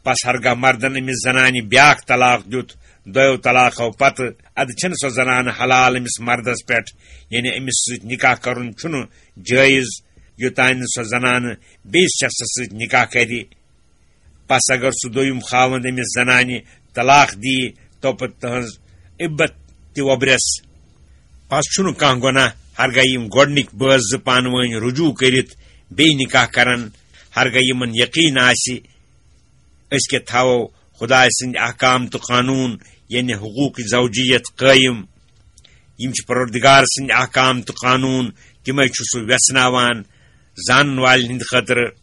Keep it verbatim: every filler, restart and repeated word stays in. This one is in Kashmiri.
پس ہرگاہ مردن أمِس زنانہِ بیاکھ طلاق دیُت، دۄیو طلاقو پتہٕ، ادٕ چھنہٕ سۄ زنانہٕ حلال أمِس مردس پٮ۪ٹھ، یعنی أمِس سۭتۍ نکاح کرُن چھُنہٕ جٲیز، یوٚتانۍ نہٕ سۄ زنانہٕ بیٚیِس شخصس سۭتۍ نکاح کرِ۔ پس اگر سُہ دوٚیُم خاوند أمِس زنانہِ طلاق دِیہِ، توپتہٕ تہنٛز عبت تہِ وۄبرس۔ پس چھُنہٕ کانٛہہ گۄناہ، ہرگاہ یِم گۄڈنِکۍ بٲژ زٕ پانہٕ وٲنۍ رجوع کٔرِتھ بیٚیہِ نکاح کرن، ہرگاہ یِمن یقین آسہِ، أسۍ کیٛاہ تھاوو خدایہِ سٕنٛدۍ احکام تہٕ قانوٗن، یعنی حقوق زوجیت قٲیِم۔ یِم چھِ پروردگار سٕنٛدۍ احکام تہٕ قانوٗن، تِمے چھُ سُہ ویژھناوان زانن والٮ۪ن ہٕنٛدِ خٲطرٕ۔